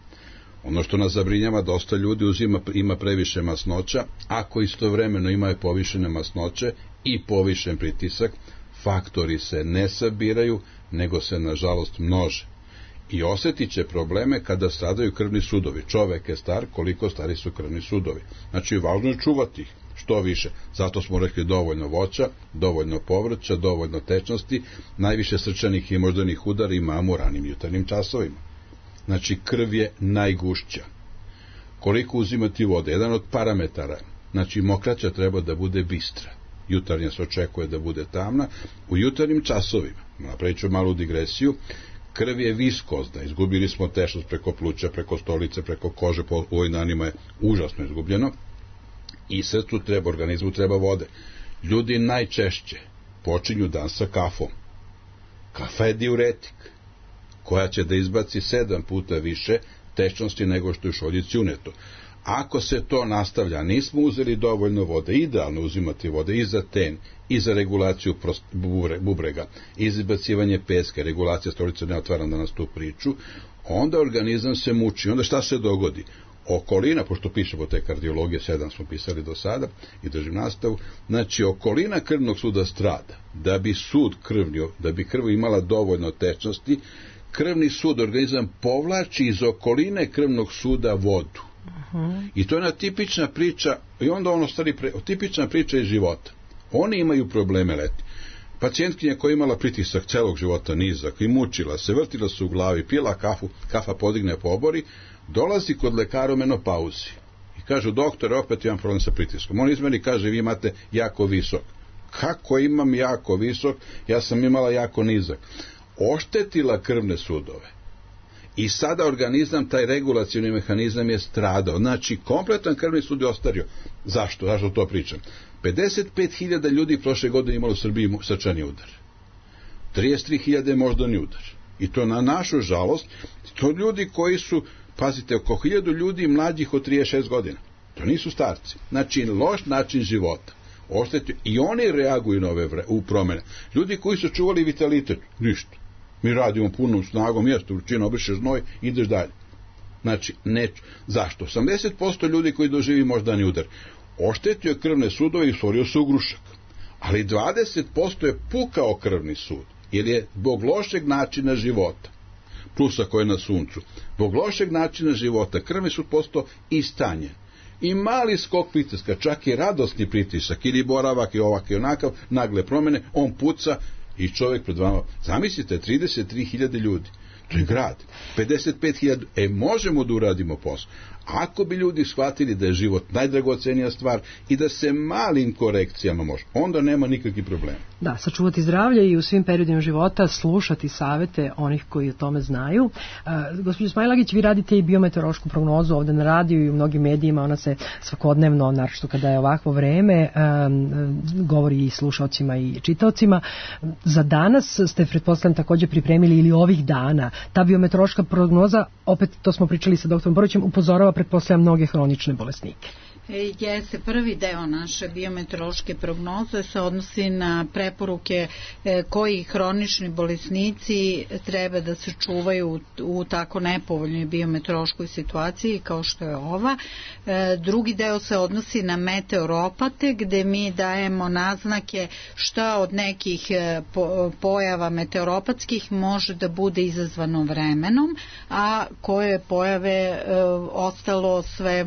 Ono što nas zabrinjava, dosta ljudi uzima, ima previše masnoća, ako istovremeno imaju povišene masnoće i povišen pritisak, faktori se ne sabiraju, nego se nažalost množe. I osjetit će probleme kada stradaju krvni sudovi. Čovek je star, koliko stari su krvni sudovi. Znači, važno je čuvati ih što više. Zato smo rekli dovoljno voća, dovoljno povrća, dovoljno tečnosti, najviše srčanih i moždanih udara imamo u ranim jutarnjim časovima. Znači, krv je najgušća. Koliko uzimati vode? Jedan od parametara. Znači, mokraća treba da bude bistra. Jutarnja se očekuje da bude tamna. U jutarnjim časovima, napravit ću malu digresiju, krv je viskozna. Izgubili smo tečnost preko pluća, preko stolice, preko kože, po ovim danima je užasno izgubljeno. I srcu treba, organizmu treba vode. Ljudi najčešće počinju dan sa kafom. Kafa je diuretik, koja će da izbaci sedam puta više tečnosti nego što je šoljici uneto. Ako se to nastavlja, nismo uzeli dovoljno vode, idealno uzimati vode i za ten, i za regulaciju bubrega, i za izbacivanje peska, regulacija stolice, ne otvaram danas tu priču, onda organizam se muči. Onda šta se dogodi? Okolina, pošto pišemo te kardiologije, sedam smo pisali do sada i držim nastavu, znači okolina krvnog suda strada. Da bi sud krvnio, da bi krv imala dovoljno tečnosti, krvni sud, organizam povlači iz okoline krvnog suda vodu. Uh-huh. I to je jedna tipična priča, i onda ono stari pre, tipična priča iz života. Oni imaju probleme leti. Pacijentkinja koja je imala pritisak celog života nizak i mučila se, vrtila se u glavi, pila kafu, kafa podigne po obori, dolazi kod lekara u menopauzi i kažu, doktore, opet imam problem sa pritiskom. On izmeni kaže, vi imate jako visok. Kako imam jako visok? Ja sam imala jako nizak. Oštetila krvne sudove. I sada organizam, taj regulacioni mehanizam je stradao. Znači, kompletan krvni sud je ostario. Zašto? Zašto to pričam? pedeset pet hiljada ljudi prošle godine imalo u Srbiji srčani udar. trideset tri hiljade moždani udar. I to na našu žalost, to ljudi koji su, pazite, oko hiljadu ljudi mlađih od trideset šest godina. To nisu starci. Znači, loš način života. Oštetio. I oni reaguju na ove vre, u promene. Ljudi koji su čuvali vitalitet, ništa. Mi radimo punom snagom, jeste, vrućina, obrišeš znoj, ideš dalje. Znači, ne, zašto? osamdeset posto ljudi koji doživi moždani udar oštetio je krvne sudove i stvorio se ugrušak. Ali dvadeset posto je pukao krvni sud, jer je zbog lošeg načina života, plus ako je na suncu, zbog lošeg načina života, krvni sud postao istanjen. I mali skok pritiska, čak i radosni pritisak, ili boravak i ovak i onakav, nagle promene, on puca i čovjek pred vama, zamislite, trideset tri hiljade ljudi, to je grad, pedeset pet hiljada, e možemo da uradimo posao. Ako bi ljudi shvatili da je život najdragocenija stvar i da se malim korekcijama može, onda nema nikakvih problema. Da, sačuvati zdravlje i u svim periodima života slušati savete onih koji o tome znaju. Uh, gospođo Smailagić, vi radite i biometeorološku prognozu ovde na radiju i u mnogim medijima, ona se svakodnevno, naročito kada je ovakvo vreme, um, govori i slušaocima i čitaocima. Za danas ste, pretpostavljam, takođe pripremili ili ovih dana. Ta biometeorološka prognoza, opet to smo pričali sa doktorom Borovićem, upozorava, pretpostavljam, mnoge hronične bolesnike. Jeste, prvi deo naše biometeorološke prognoze se odnosi na preporuke koji hronični bolesnici treba da se čuvaju u, u tako nepovoljnoj biometeorološkoj situaciji kao što je ova. Drugi deo se odnosi na meteoropate, gde mi dajemo naznake šta od nekih pojava meteoropatskih može da bude izazvano vremenom, a koje pojave ostalo sve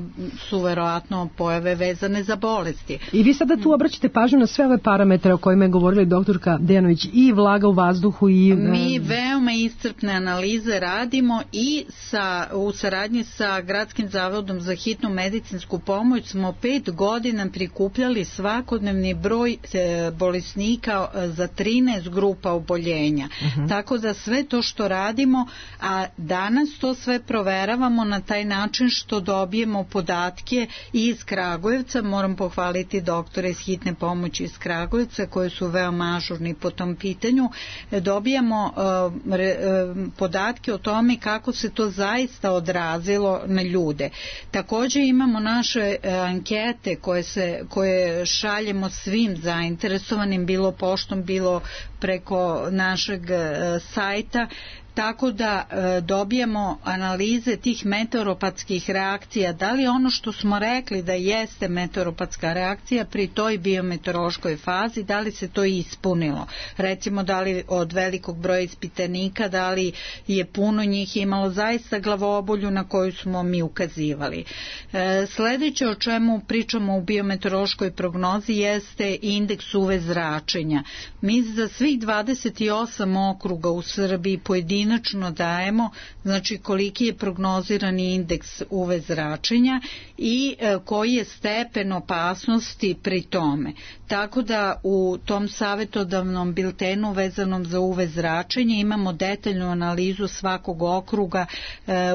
su verovatno pojave vezane za bolesti. I vi sada tu obraćate pažnju na sve ove parametre o kojima je govorila doktorka Dejanović, i vlaga u vazduhu i... Mi veoma iscrpne analize radimo i sa, u saradnji sa Gradskim zavodom za hitnu medicinsku pomoć smo pet godina prikupljali svakodnevni broj e, bolesnika za trinaest grupa oboljenja. Uh-huh. Tako da sve to što radimo, a danas to sve proveravamo na taj način što dobijemo podatke iz Kragujevca. Moram pohvaliti doktore iz hitne pomoći iz Kragujevca koji su veoma ažurni po tom pitanju. Dobijamo uh, re, uh, podatke o tome kako se to zaista odrazilo na ljude. Takođe imamo naše uh, ankete koje, se, koje šaljemo svim zainteresovanim, bilo poštom, bilo preko našeg uh, sajta, tako da e, dobijemo analize tih meteoropatskih reakcija, da li ono što smo rekli da jeste meteoropatska reakcija pri toj biometeorološkoj fazi, da li se to ispunilo. Recimo, da li od velikog broja ispitanika, da li je puno njih imalo zaista glavobolju na koju smo mi ukazivali. E, sledeće o čemu pričamo u biometeorološkoj prognozi jeste indeks U V zračenja. Mi za svih dvadeset osam okruga u Srbiji pojedinačno pojedinačno dajemo, znači koliki je prognozirani indeks U V zračenja i koji je stepen opasnosti pri tome. Tako da u tom savjetodavnom biltenu vezanom za U V zračenje imamo detaljnu analizu svakog okruga,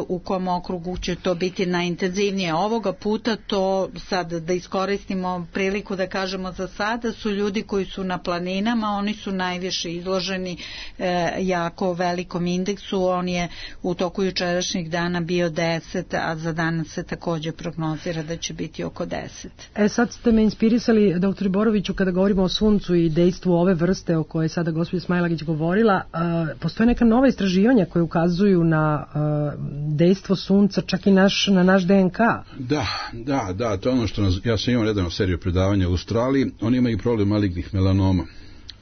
u kom okrugu će to biti najintenzivnije. Ovoga puta to sad da iskoristimo priliku da kažemo za sada su ljudi koji su na planinama, oni su najviše izloženi jako velikom indeksu, on je u toku jučerašnjeg dana bio deset, a za danas se takođe prognozira da će biti oko deset. E sad ste me inspirisali, doktor Boroviću, kada govorimo o suncu i dejstvu ove vrste o kojoj je sada gospođa Smajlagić govorila, postoje neka nova istraživanja koje ukazuju na dejstvo sunca, čak i naš, na naš D N K. Da, da, da, to je ono što nas, ja sam imao nedavno seriju predavanja u Australiji, oni imaju problem malignih melanoma,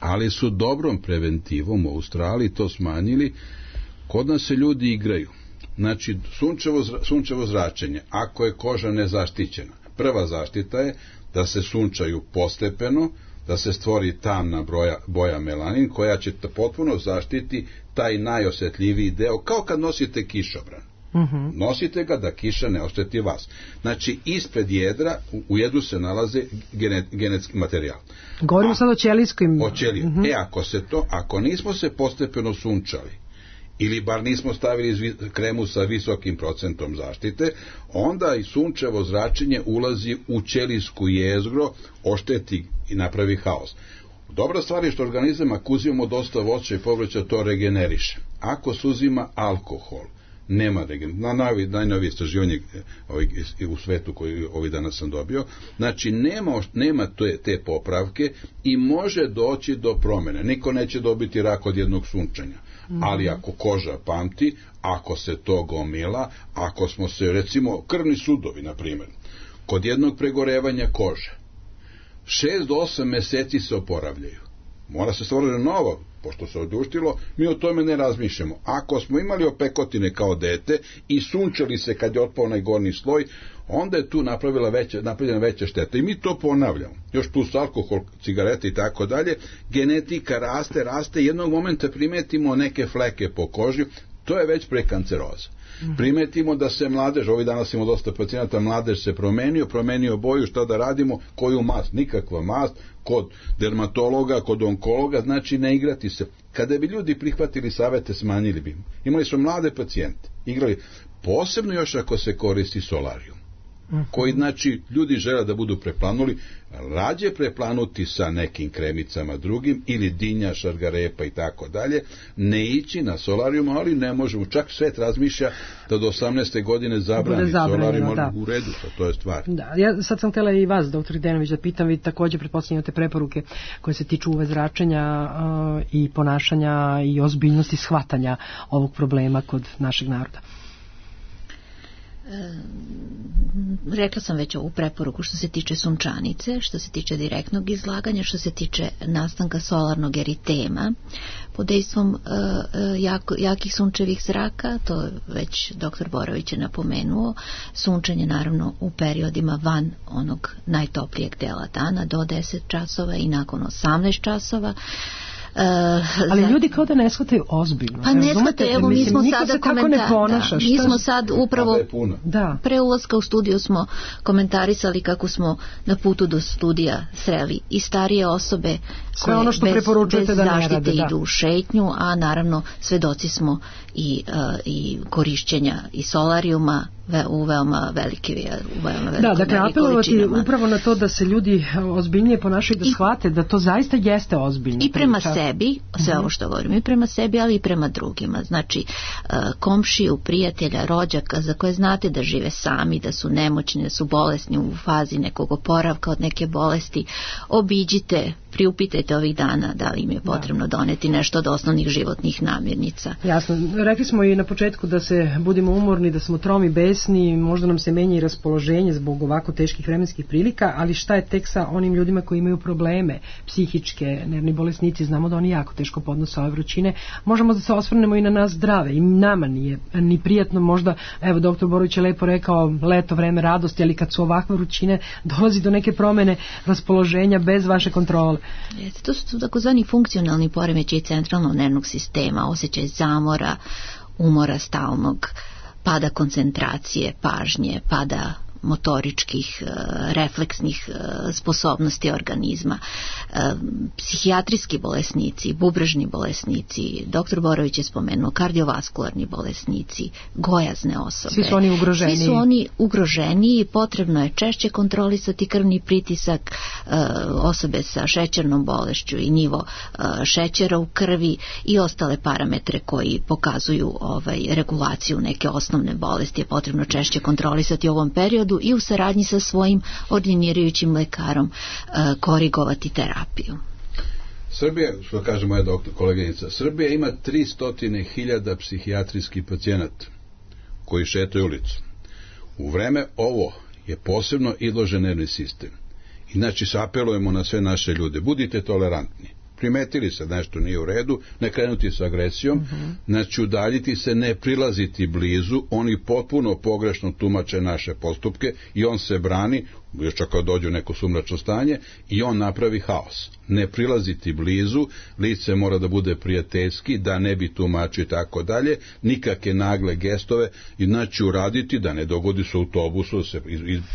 ali su dobrom preventivom u Australiji to smanjili. Kod nas se ljudi igraju. Znači, sunčevo, sunčevo zračenje, ako je koža nezaštićena, prva zaštita je da se sunčaju postepeno, da se stvori tamna broja, boja melanin, koja će potpuno zaštiti taj najosjetljiviji deo, kao kad nosite kišobran. Uh-huh. Nosite ga da kiša ne ošteti vas. Znači, ispred jedra, u jedru se nalaze genet, genetski materijal. Govorimo sad o ćelijskim... O ćeliju. Uh-huh. E, ako se to, ako nismo se postepeno sunčali, ili bar nismo stavili kremu sa visokim procentom zaštite, onda i sunčevo zračenje ulazi u ćelijsku jezgro, ošteti i napravi haos. Dobra stvar je što organizam, ako uzimamo dosta voća i povrća, to regeneriše. Ako se uzima alkohol, nema regeneracije. Na najnovije istraživanje u svetu koji ovih dana sam dobio, znači nema, nema te, te popravke i može doći do promene. Niko neće dobiti rak od jednog sunčanja. Ali ako koža pamti, ako se to gomila, ako smo se, recimo, krvni sudovi, na primjer, kod jednog pregorevanja kože, šest do osam meseci se oporavljaju. Mora se stvoriti novo, pošto se oduštilo, mi o tome ne razmišljamo. Ako smo imali opekotine kao dete i sunčali se kad je otpao onaj gornji sloj, onda je tu napravila veća, napravljena veća šteta. I mi to ponavljamo. Još plus alkohol, cigarete i tako dalje. Genetika raste, raste. Jednog momenta primetimo neke fleke po koži. To je već prekanceroza. Mm-hmm. Primetimo da se mladež, ovih danas imamo dosta pacijenata, mladež se promenio, promenio boju, šta da radimo, koju mast, nikakva mast, kod dermatologa, kod onkologa, znači ne igrati se. Kada bi ljudi prihvatili savete, smanjili bi. Imali su mlade pacijente, igrali, posebno još ako se koristi solarijum, koji, znači, ljudi žele da budu preplanuli, rađe preplanuti sa nekim kremicama drugim, ili dinja, šargarepa i tako dalje, ne ići na solarijum, ali ne možemo, čak svet razmišlja da do osamnaeste godine zabrani solarijum, ali u redu, to je stvar. Da, ja sad sam htjela i vas, doktor Denović, da pitam, vi također pretpostavljate preporuke koje se tiču U V zračenja uh, i ponašanja i ozbiljnosti shvatanja ovog problema kod našeg naroda. Rekla sam već ovu preporuku što se tiče sunčanice, što se tiče direktnog izlaganja, što se tiče nastanka solarnog eritema pod dejstvom jako, jakih sunčevih zraka, to već doktor Borović je napomenuo, sunčanje naravno u periodima van onog najtoplijeg dela dana do deset časova i nakon osamnaest časova. Uh, ali za... ljudi kao da ne shvataju ozbiljno. Pa ne shvataju, evo mi smo sada komentar, da, mi smo sad upravo da. pre ulaska u studiju smo komentarisali kako smo na putu do studija sreli i starije osobe sve ono što bez, preporučujete bez da ne zaštite rade, da. idu u šetnju, a naravno svedoci smo i, uh, i korišćenja i solarijuma u veoma velike u veoma velikom da, dakle apelovati upravo na to da se ljudi ozbiljnije ponašaju, da I, shvate da to zaista jeste ozbiljno. I prema priča. sebi, sve ovo što govorim, i prema sebi, ali i prema drugima. Znači, komšiju, prijatelja, rođaka za koje znate da žive sami, da su nemoćni, da su bolesni u fazi nekog oporavka od neke bolesti, obiđite, priupitajte ovih dana da li im je potrebno da. doneti nešto od osnovnih životnih namirnica. Jasno, rekli smo i na početku da se budemo umorni, da smo tromi, bez bolesni, možda nam se menja i raspoloženje zbog ovako teških vremenskih prilika, ali šta je tek sa onim ljudima koji imaju probleme psihičke, nervni bolesnici, znamo da oni jako teško podnose ove vrućine. Možemo da se osvrnemo i na nas zdrave, i nama nije ni prijatno, možda, evo doktor Borović je lepo rekao, leto, vreme radosti, ali kad su ovakve vrućine dolazi do neke promene raspoloženja bez vaše kontrole. Jeste, to su takozvani funkcionalni poremećaji centralnog nervnog sistema, osjećaj zamora, umora stalnog, pada koncentracije, pažnje, pada motoričkih, refleksnih sposobnosti organizma. Psihijatrijski bolesnici, bubrežni bolesnici, doktor Borović je spomenuo, kardiovaskularni bolesnici, gojazne osobe. Svi su oni ugroženiji. Svi su oni ugroženiji, potrebno je češće kontrolisati krvni pritisak, osobe sa šećernom bolešću i nivo šećera u krvi i ostale parametre koji pokazuju ovaj, regulaciju neke osnovne bolesti je potrebno češće kontrolisati u ovom periodu i u saradnji sa svojim ordinirajućim lekarom uh, korigovati terapiju. Srbija, što kaže moja doktor, koleginica, Srbija ima tristo hiljada psihijatrijskih pacijenata koji šetaju ulicu. U vreme ovo je posebno izložen nervni sistem. Inače, apelujemo na sve naše ljude, budite tolerantni. Primetili se nešto nije u redu, ne krenuti sa agresijom, uh-huh. znači udaljiti se, ne prilaziti blizu, oni potpuno pogrešno tumače naše postupke i on se brani, još čak kad dođe u neko sumračno stanje, i on napravi haos. Ne prilaziti blizu, lice mora da bude prijateljski, da ne bi tumačio i tako dalje, nikakve nagle gestove, i znači uraditi da ne dogodi se u autobusu, se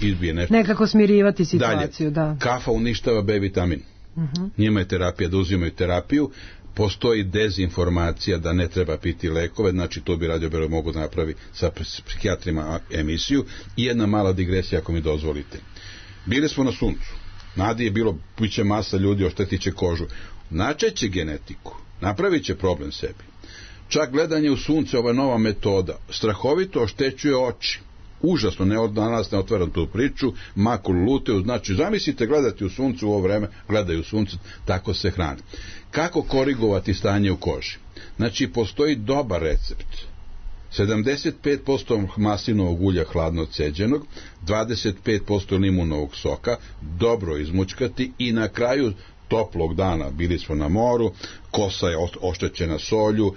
izbije nešto. Nekako smirivati situaciju, dalje. Da. Kafa uništava B vitamin. Uh-huh. Njima je terapija da uzimaju terapiju, postoji dezinformacija da ne treba piti lekove, znači to bi Radio Beograd mogu da napravi sa psihijatrima emisiju. I jedna mala digresija ako mi dozvolite. Bili smo na suncu, nadi je bilo, biće masa ljudi, oštetit će kožu, načeće genetiku, napravit će problem sebi. Čak gledanje u sunce, ova nova metoda, strahovito oštećuje oči. Užasno, ne od danas ne otvaram tu priču, makulu lutaju, znači zamislite gledati u suncu u ovo vreme, gledaju u suncu, tako se hrani. Kako korigovati stanje u koži? Znači, postoji dobar recept. sedamdeset pet posto maslinovog ulja hladno ceđenog, dvadeset pet posto limunovog soka, dobro izmućkati i na kraju toplog dana, bili smo na moru, kosa je oštećena solju,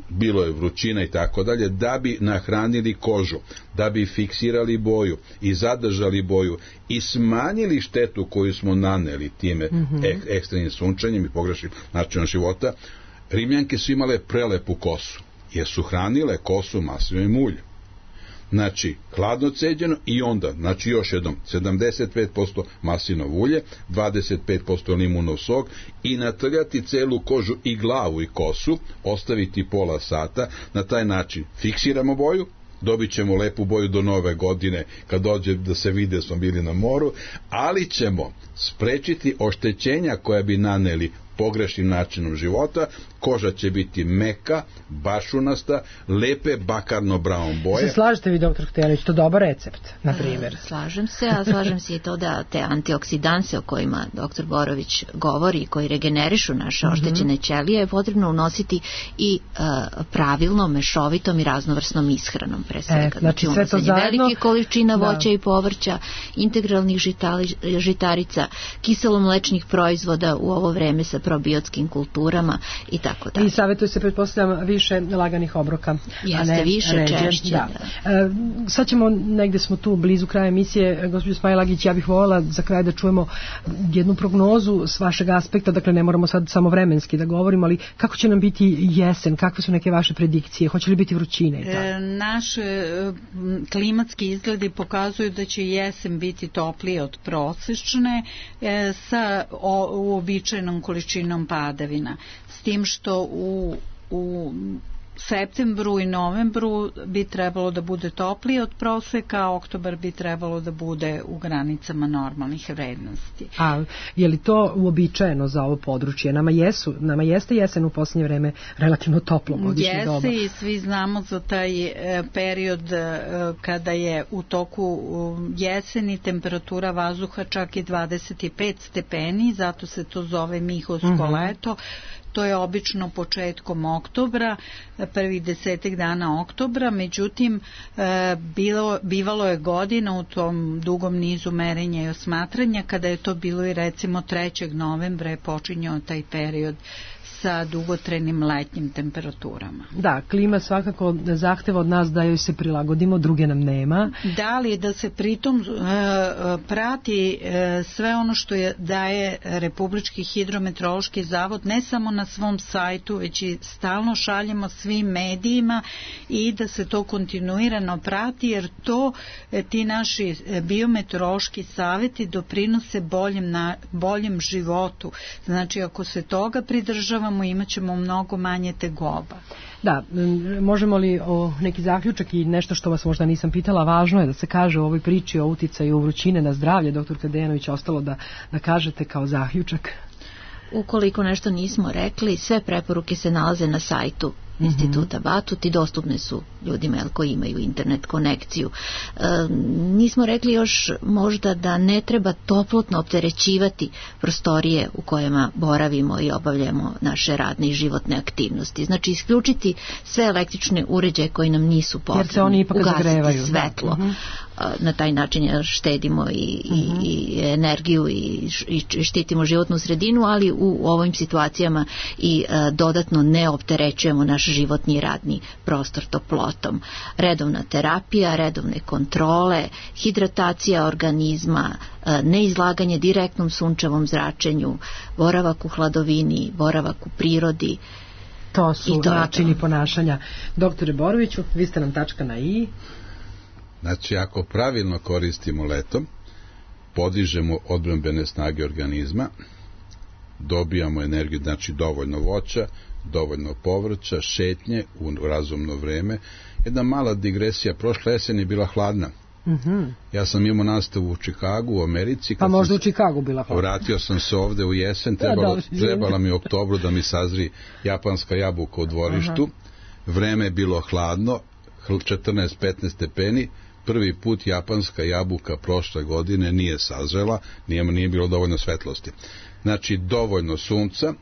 bilo je vrućina i tako dalje, da bi nahranili kožu, da bi fiksirali boju i zadržali boju i smanjili štetu koju smo naneli time mm-hmm. ek, ekstremnim sunčanjem i pogrešnim načinom života. Rimljanke su imale prelepu kosu, jer su hranile kosu maslinovim uljem. Znači, hladno ceđeno i onda, znači još jednom, sedamdeset pet posto maslinovo ulje, dvadeset pet posto limunov sok i natrljati celu kožu i glavu i kosu, ostaviti pola sata, na taj način fiksiramo boju, dobit ćemo lepu boju do nove godine, kad dođe da se vide smo bili na moru, ali ćemo sprečiti oštećenja koja bi naneli pogrešnim načinom života, koža će biti meka, bašunasta, lepe bakarno-brown boje. Se slažete vi, doktor Htelić, to dobar recept, na primjer? Slažem se, a slažem se i to da te antioksidanse o kojima doktor Borović govori, koji regenerišu naše oštećene ćelije, je potrebno unositi i uh, pravilno, mešovitom i raznovrsnom ishranom, pre svega. E, znači sve to zajedno. Velike količina da. voća i povrća, integralnih žitali, žitarica, kiselomlečnih proizvoda u ovo vreme sa probiotskim kulturama i tako dalje. I savjetuje se, pretpostavljam, više laganih obroka. Jeste, a ne više, ređe. češće. Da. Da. E, sad ćemo, negde smo tu blizu kraja emisije. Gospođo Smajlagić, ja bih voljela za kraj da čujemo jednu prognozu s vašeg aspekta, dakle ne moramo sad samo vremenski da govorimo, ali kako će nam biti jesen, kakve su neke vaše predikcije, hoće li biti vrućine i tako? E, naš e, klimatski izgledi pokazuju da će jesen biti toplije od prosečne e, sa o, uobičajenom količinom padavina, s tim što u, u septembru i novembru bi trebalo da bude toplije od proseka, a oktobar bi trebalo da bude u granicama normalnih vrednosti. A je li to uobičajeno za ovo područje? Nama jesu, nama jeste jesen u posljednje vreme relativno toplo godišnje doba. Jeste i svi znamo za taj e, period e, kada je u toku jeseni temperatura vazduha čak i dvadeset pet stepeni, zato se to zove Mihovsko mm-hmm. leto. to je obično početkom oktobra, prvih desetak dana oktobra, međutim bilo, bivalo je godina u tom dugom nizu merenja i osmatranja kada je to bilo i recimo trećeg novembra je počinjao taj period sa dugotrenim letnjim temperaturama. Da, klima svakako zahteva od nas da joj se prilagodimo, druge nam nema. Da li da se pritom e, prati e, sve ono što je daje Republički hidrometeorološki zavod ne samo na svom sajtu, već i stalno šaljemo svim medijima i da se to kontinuirano prati, jer to e, ti naši biometeorološki saveti doprinose boljem, na, boljem životu. Znači ako se toga pridržavamo, imat ćemo mnogo manje tegoba. Da, možemo li o neki zaključak i nešto što vas možda nisam pitala, važno je da se kaže u ovoj priči o uticaju vrućine na zdravlje, doktor Dejanović, ostalo da, da kažete kao zaključak? Ukoliko nešto nismo rekli, sve preporuke se nalaze na sajtu Instituta Batut i dostupne su ljudima koji imaju internet konekciju. E, nismo rekli još možda da ne treba toplotno opterećivati prostorije u kojima boravimo i obavljamo naše radne i životne aktivnosti. Znači isključiti sve električne uređaje koji nam nisu potrebni. Jer se oni ipak zagrevaju. Svetlo. Uh-huh. Na taj način štedimo i, uh-huh. i, i energiju i, i štitimo životnu sredinu, ali u ovim situacijama i a, dodatno ne opterećujemo naš životni i radni prostor toplotom. Redovna terapija, redovne kontrole, hidratacija organizma, a, neizlaganje direktnom sunčevom zračenju, boravak u hladovini, boravak u prirodi. To su to načini to. ponašanja. Doktore Boroviću, vi ste nam tačka na i. Znači, ako pravilno koristimo letom, podižemo odbrambene snage organizma, dobijamo energiju, znači dovoljno voća, dovoljno povrća, šetnje u razumno vreme. Jedna mala digresija, prošle jesen je bila hladna. Mm-hmm. Ja sam imao nastavu u Čikagu, u Americi. Pa možda u Čikagu bila hladna. Vratio sam se ovde u jesen, trebalo, trebala mi u oktobru da mi sazri japanska jabuka u dvorištu. Aha. Vreme je bilo hladno, četrnaest petnaest stepeni. Prvi put japanska jabuka prošle godine nije sazrela, nije, nije bilo dovoljno svetlosti. Znači, dovoljno sunca,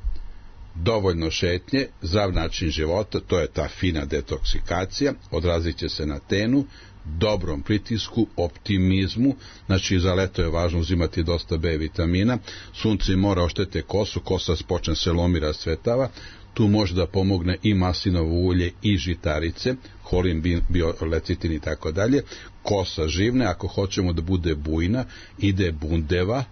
dovoljno šetnje, zdrav način života, to je ta fina detoksikacija, odrazit će se na tenu, dobrom pritisku, optimizmu, znači za leto je važno uzimati dosta B vitamina, sunce mora oštete kosu, kosa počne se lomi, rascvetava, tu može da pomogne i maslinovo ulje i žitarice, holin, biolecitin i tako dalje, kosa živne, ako hoćemo da bude bujna, ide bundeva,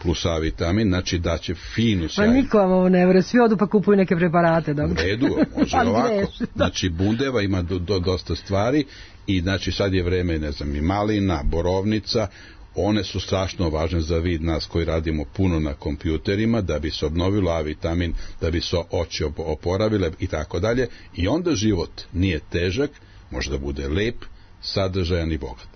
plus A vitamin, znači da će finu sjajnu. Pa niko vam ovo ne vre, svi odu pa kupuju neke preparate. Da. U redu, može ovako. Znači bundeva ima do, do, dosta stvari i znači sad je vreme, ne znam, i malina, borovnica, one su strašno važne za vid nas koji radimo puno na kompjuterima, da bi se obnovilo A vitamin, da bi se oči oporavile i tako dalje. I onda život nije težak, može da bude lep, sadržajan i bogat.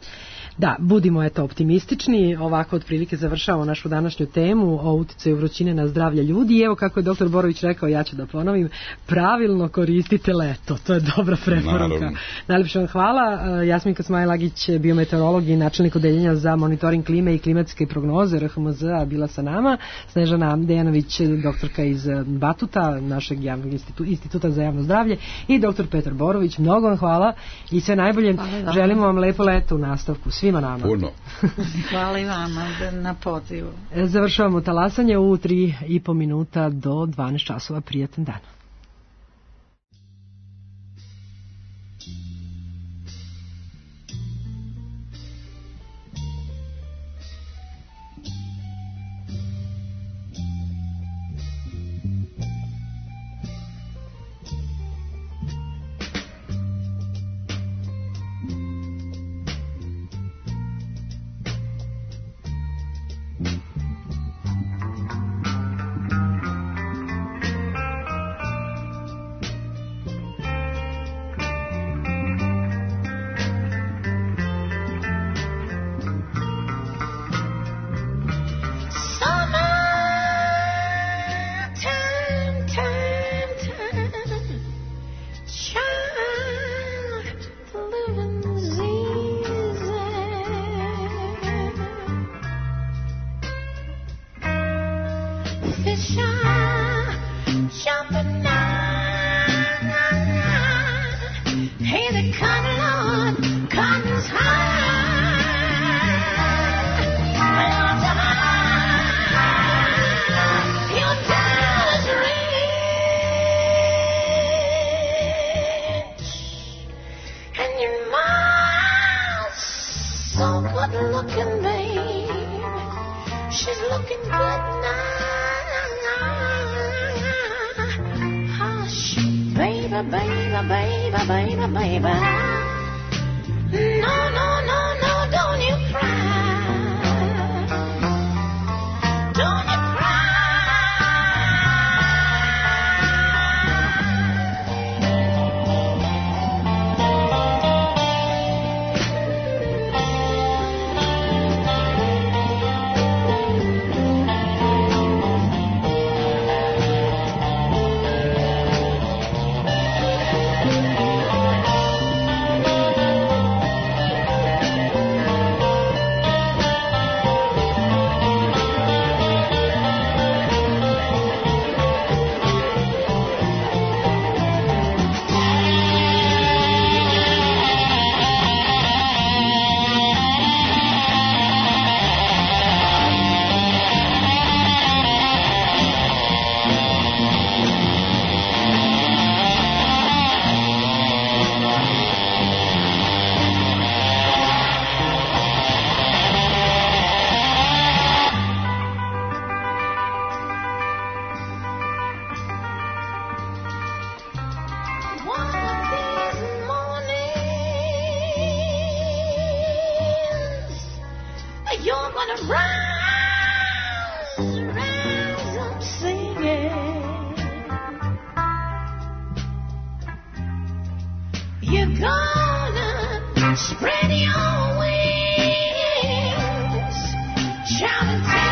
Da, budimo eto optimistični, ovako otprilike završavamo našu današnju temu o uticaju vrućine na zdravlje ljudi i evo kako je doktor Borović rekao, ja ću da ponovim, pravilno koristite leto, to je dobra preporuka. Najlepše vam hvala, Jasminka Smajlagić, biometeorolog i načelnik odeljenja za monitoring klime i klimatske prognoze R H M Z a bila sa nama, Snežana Dejanović, doktorka iz Batuta, našeg javnog institu, instituta za javno zdravlje i doktor Petar Borović, mnogo vam hvala i sve najbolje, hvala, želimo vam lepo leto u nastavku. Svima nama. Puno. Hvala i vama na pozivu. Završavamo talasanje u tri i po minuta do dvanaest časova. Prijatan dan. good looking, babe. She's looking good now. Hush, baby, baby, baby, baby, baby. No, no, no, no, don't you cry. Don't you spread your wings, shout and